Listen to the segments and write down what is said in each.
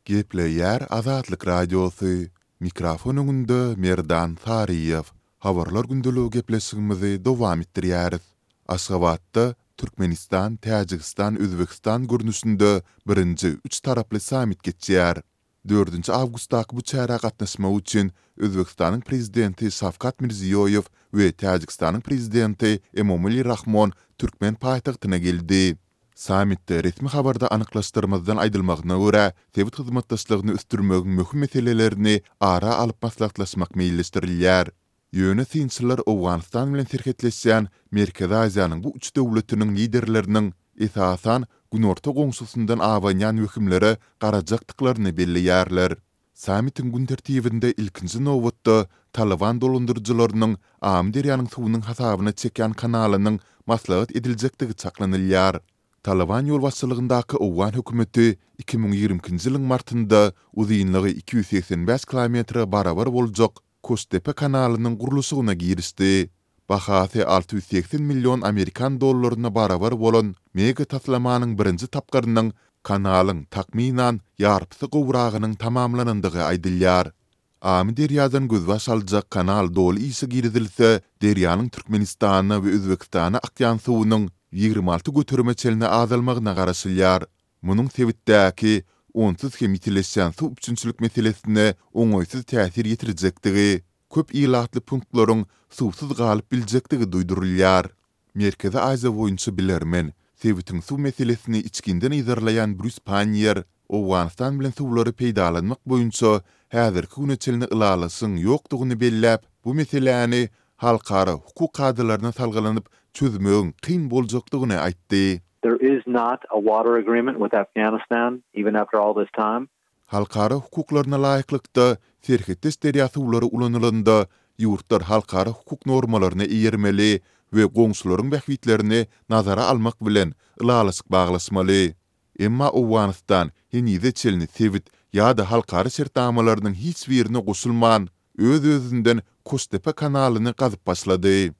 Gepleýär Azatlyk Radiosy, Mikrofon öňünde Merdan Saryýew. Habarlar gündeligi gepleşigimizi dowam etdirýäris. Aşgabatda Türkmenistan, Täjigistan, Özbegistan görnüşinde birinji üç taraply sammit geçýär. Dördünji awgustdaky bu çärä gatnaşmak üçin Özbegistanyň Prezidenti Şawkat Mirziýoýew we Täjigistanyň Prezidenti Emomali Rahmon türkmen paýtagtyna geldi. Sammitde resmi habarda anyklaşdyrmazdan aýdylmagyna görä, sebit hyzmatdaşlygyny ösdürmegiň möhüm meselelerini ara alyp maslahatlaşmak meýilleşdirilýär. Ýöne synçylar Owganystan bilen serhetleşýän Merkezi Aziýanyň bu üç döwletiniň liderleriniň, esasan, günorta goňşusyndan abanýan wehimlere garajakdyklaryny belleýärler. Sammitiň gün tertibinde ilkinji nobatda Talyban dolandyryjylarynyň Amyderýanyň suwunyň hasabyna çekýän kanalynyň maslahat ediljekdigi çaklanylýar. Talyban ýolbaşçylygyndaky owgan hökümeti 2022-nji ýylyň martynda uzynlygy 285 kilometre barabar boljak Koştepe kanalynyň gurluşygyna girişdi. Bahasy 680 million amerikan dollaryna barabar bolan mega taslamanyň birinji tapgyrynyň kanalyň, takmynan, ýarpysy gowragynyň tamamlanandygy aýdylýar. Amyderýadan gözbaş aljak kanal doly işe girizilse, derýanyň Türkmenistana we Özbegistana akýan suwunyň 26 göterime çenli azalmagyna garaşylýar. Munuň sebitdäki onsuz hem ýitileşýän suw üpjünçilik meselesine oňaýsyz täsir ýetirjekdigi, köp ilatly punktlaryň suwsuz galyp biljekdigi duýdurylýar. Merkezi Aziýa boýunça bilermen, sebitiň suw meselesini içginden yzarlaýan Brýus Panniýer Owganystan bilen suwlary peýdalanmak boýunça häzirki güne çenli ylalaşygyň ýokdugyny belläp, bu meseläni halkara hukuk kadalaryna salgylanyp çözmegiň kyn boljakdygyny aýtdy. There is not a water agreement with Afghanistan, even after all this time. Halkara hukuklaryna laýyklykda, serhetdeş derýa suwlary ulanylanda, ýurtlar halkara hukuk normalaryna eýermeli we goňşularyň bähbitlerini nazara almak bilen ylalaşyk baglaşmaly. Emma Owganystan henize çenli sebit ýa-da halkara şertnamalarynyň hiç birine goşulman, öz-özünden Koştepe kanalyny gazyp başlady.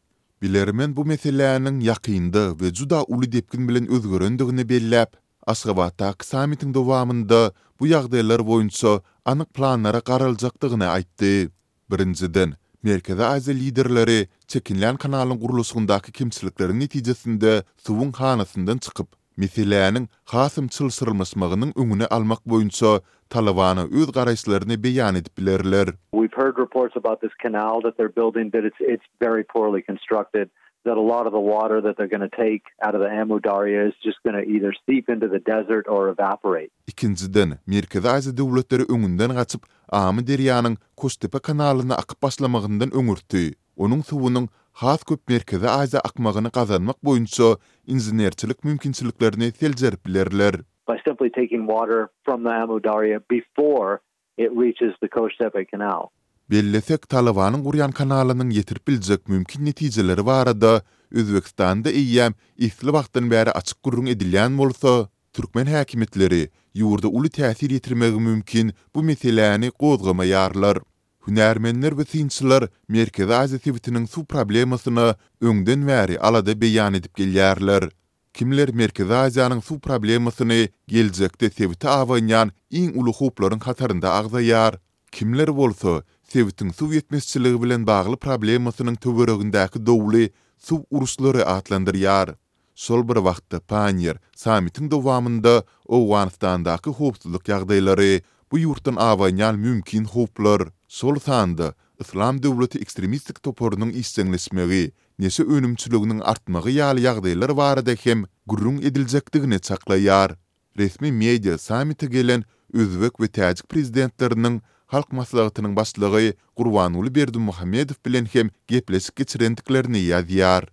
Bilermen bu meseläniň ýakynda we juda uly depgin bilen özgerendigini belläp, Aşgabatdaky sammitiň dowamynda bu ýagdaýlar boýunça anyk planlara garaljakdygyny aýtdy. Birinjiden, Merkezi Aziýa liderleri çekinlän kanalyň gurluşygyndaky kemçilikleriň netijesinde suwuň hanasyndan çykyp, meseläniň hasam çylşyrymlaşmagynyň öňüni almak boýunça Talybana öz garaýyşlaryny beýan edip bilerler. We've heard reports about this canal that they're building that it's it's very poorly constructed that a lot of the water that they're gonna take out of the Amu Darya is just gonna either seep into the desert or evaporate. Ikinjiden, Merkezi Aziýa döwletleri öňünden gaçyp, Amyderýanyň Koştepe kanalyna akyp başlamagyndan öňürti, onuň suwunyň has köp Merkezi Aziýa akmagyny gazanmak boýunça inženerçilik mümkinçiliklerini seljerip bilerler. By simply taking water from the Amu Darya before it reaches the Koştepe canal. Bellesek, Talybanyň gurýan kanalynyň ýetirip biljek mümkin netijeleri barada Özbegistanda eýýäm esli wagtdan bäri açyk gürrüň edilýän bolsa, türkmen häkimiýetleri ýurda uly täsir ýetirmegi mümkin bu meseläni gozgamaýarlar. Hünärmenler we synçylar Merkezi Aziýa sebitiniň suw problemasyna öňden bäri alada beýan edip gelýärler. Kimler Merkezi Aziýanyň suw problemasyny geljekde sebite abanýan iň uly howplaryň hatarynda agzaýar, kimler bolsa sebitiň suw ýetmezçiligi bilen bagly problemasynyň töweregindäki dowly suw uruşlary atlandyrýar. Şol bir wagtda Panniýer sammitiň dowamynda Owganystandaky howpsuzlyk ýagdaýlary, bu ýurtdan abanýan mümkin howplar, şol sanda Yslam döwleti ekstremistik toparynyň işjeňleşmegi neşe önümçiliginiň artmagy ýaly ýagdaýlar barada hem gürrüň ediljekdigini çaklaýar. Resmi media sammite gelen özbek we täjik prezidentleriniň Halk Maslahatynyň Başlygy Gurbanguly Berdimuhamedow bilen hem gepleşik geçirendiklerini ýazýar.